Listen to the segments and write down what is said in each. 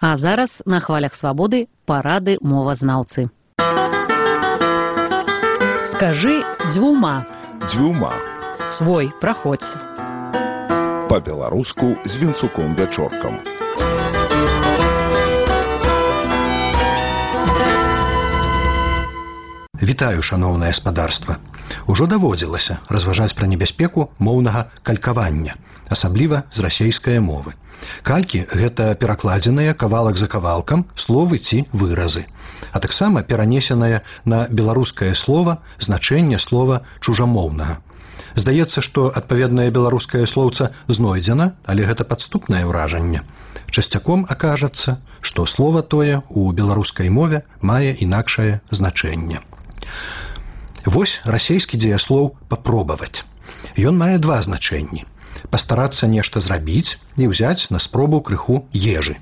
А зараз на хвалях свабоды парады мовазнаўцы. Скажы дзвюма. Дзвюма. Свой праходзь. Па-беларуску з Вінцуком-Вячоркам. Вітаю, шаноўнае спадарства. Ужо даводзілася разважаць пра небяспеку моўнага калькавання, асабліва з расейскай мовы. Калькі – гэта перакладзеныя кавалак за кавалкам словы ці выразы, а таксама перанесенае на беларускае слова значэнне слова чужамоўнага. Здаецца, што адпаведнае беларускае слоўца знойдзена, але гэта падступнае ўражанне. Часцяком акажацца, што слова тое ў беларускай мове мае інакшае значэнне. Вось расейскі дзеяслоў «папробаваць». Ён мае два значэнні – пастарацца нешта зрабіць і ўзяць на спробу крыху ежы.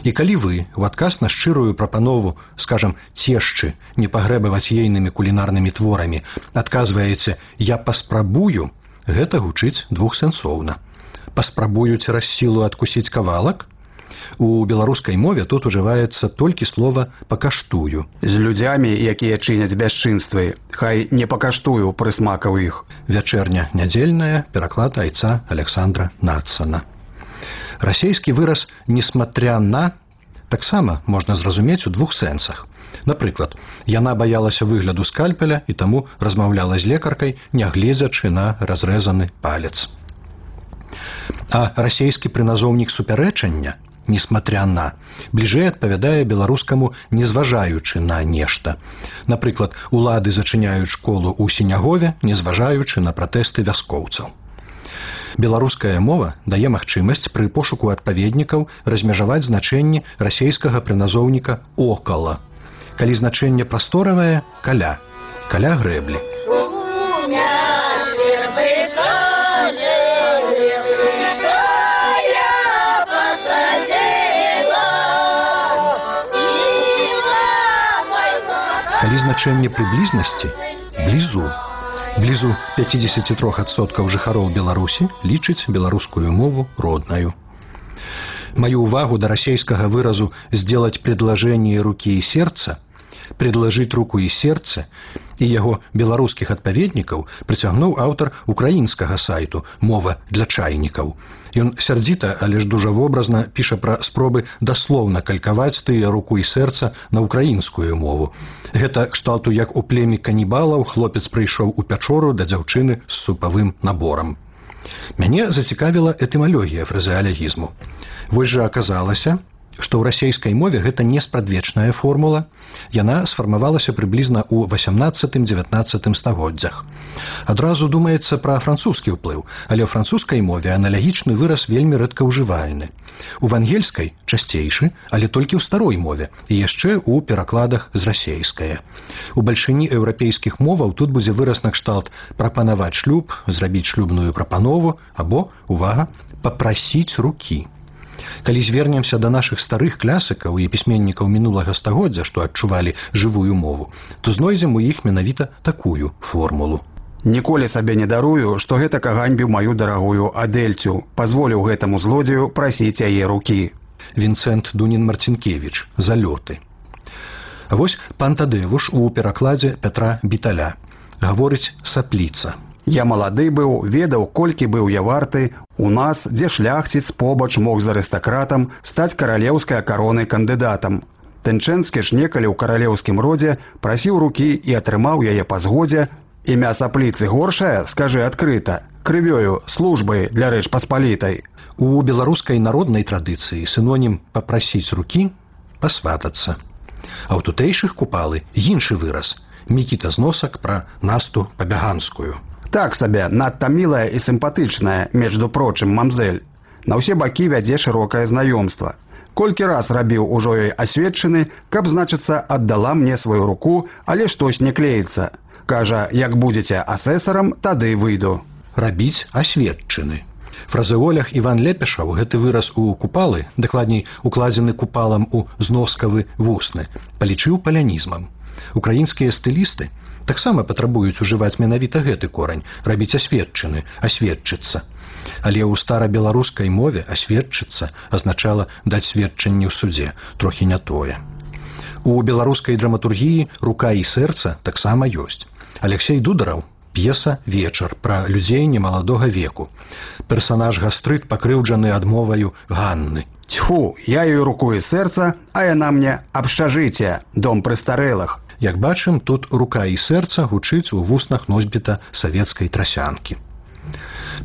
І калі вы ў адказ на шчырую прапанову, скажам, цешчы, не пагрэбаваць ейнымі кулінарнымі творамі, адказваеце «я паспрабую», гэта гучыць двухсэнсоўна. Паспрабую цераз сілу адкусіць кавалак? У беларускай мове тут ужываецца толькі слова «пакаштую». З людзямі, якія чыняць бясчынствы, хай не пакаштую прысмакаў іх. Вячэрня нядзельная, пераклад айца Александра Надсона. Расейскі выраз «несмотря на» таксама можна зразумець у двух сэнсах. Напрыклад, яна баялася выгляду скальпеля і таму размаўляла з лекаркай, нягледзячы на разрэзаны палец. А расейскі прыназоўнік супярэчання «несмотря на» бліжэй адпавядае беларускаму «незважаючы на нешта». Напрыклад, улады зачыняюць школу ў Сінягове, незважаючы на пратэсты вяскоўцаў. Беларуская мова дае магчымасць пры пошуку адпаведнікаў размежаваць значэнні расейскага прыназоўніка «окала». Калі значэнне прасторавае – «каля», «каля грэблі». Калі значэнне прыблізнасці – «блізу». Блізу 53% жыхароў Беларусі лічыць беларускую мову роднаю. Маю увагу да расейскага выразу «сделать предложение руки и сердца», «предложить руку и сердце» і яго беларускіх адпаведнікаў прыцягнуў аўтар украінскага сайту «Мова для чайнікаў». Ён сярдзіта, але ж дужа вобразна піша пра спробы даслоўна калькаваць тыя руку і сэрца на украінскую мову. Гэта кшталту як у племі канібалаў хлопец прыйшоў у пячору да дзяўчыны з супавым наборам. Мяне зацікавіла этымалогія фразеалегізму. Вось жа аказалася, што ў расейскай мове гэта не спрадвечная формула, яна сфармавалася прыблізна ў 18-19 стагоддзях. Адразу думаецца пра французскі ўплыў, але ў французскай мове аналагічны выраз вельмі рэдкаўжывальны. У вангельскай часцейшы, але толькі ў старой мове і яшчэ ў перакладах з расейскае. У бальшыні еўрапейскіх моваў тут будзе выраз накшталт прапанаваць шлюб, зрабіць шлюбную прапанову або, увага, папрасіць рукі. Калі звернемся да нашых старых класікаў і пісьменнікаў мінулага стагоддзя, што адчувалі жывую мову, то знойдзем у іх менавіта такую формулу. Ніколі сабе не дарую, што гэтак аганьбіў маю дарагую Адэльцю, пазволіў гэтаму злодзею прасіць яе рукі. Вінцэнт Дунін-Марцінкевіч, «Залёты». А вось пан Тадэвуш у перакладзе Пятра Біталя гаворыць «сапліца». Я малады быў, ведаў, колькі быў я варты, у нас, дзе шляхціц побач мог з арыстакратам стаць каралеўскай каронай кандыдатам. Тэнчэнскі ж некалі ў каралеўскім родзе прасіў рукі і атрымаў яе па згодзе. Імя сапліцы горшае, скажы адкрыта, крывёю, службай для Рэч Паспалітай. У беларускай народнай традыцыі сінонім «папрасіць рукі» – «пасватацца». А ў тутэйшых купалы іншы выраз – Мікіта Зносак пра Насту Пабяганскую. Так сабе, надта мілая і сімпатычная, между прочым, мамзель. На ўсе бакі вядзе шырокае знаёмства. Колькі раз рабіў ужо ёй асведчыны, каб, значыцца, аддала мне сваю руку, але штось не клеіцца. Кажа, як будзеце асэсарам, тады выйду. Рабіць асведчыны. Фразеолях Іван Лепешаў гэты выраз у купалы, дакладней, укладзены купалам у зноскавы вусны, палічыў палянізмам. Украінскія стылісты таксама патрабуюць ужываць менавіта гэты корань, рабіць асведчыны, асведчыцца. Але ў старабеларускай мове асведчыцца азначала даць сведчанне ў судзе, трохі не тое. У беларускай драматургіі рука і сэрца таксама ёсць. Алексей Дудараў, п'еса «Вечар» пра людзей немаладога веку. Персанаж Гастрыт пакрыўджаны адмоваю Ганны. Тьфу, я ёй руку і сэрца, а яна мне абшчажыце, дом прыстарэлых. Як бачым, тут рука і сэрца гучыць у вуснах носьбіта савецкай трасянкі.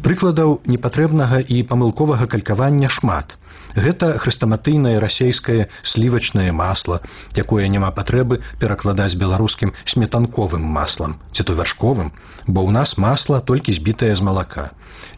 Прыкладаў непатрэбнага і памылковага калькавання шмат. Гэта хрэстаматыйнае расейскае слівачнае масла, якое няма патрэбы перакладаць беларускім сметанковым маслам, ці то вяршковым, бо ў нас масла толькі збітае з малака.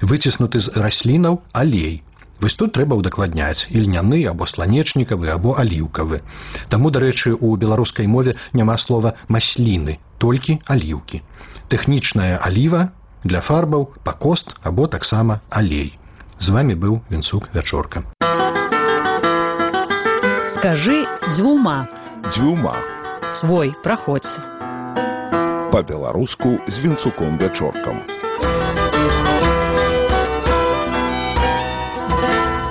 Выціснуты з раслінаў алей. Вось тут трэба ўдакладняць ільняны або сланечнікавы або аліўкавы. Таму, дарэчы, у беларускай мове няма слова масліны, толькі аліўкі. Тэхнічная аліва для фарбаў, пакост або таксама алей. З вамі быў Вінцук Вячорка. Скажи дзвюма. Дзвюма. Свой, праходзь. Па-беларуску з Вінцуком Вячоркам.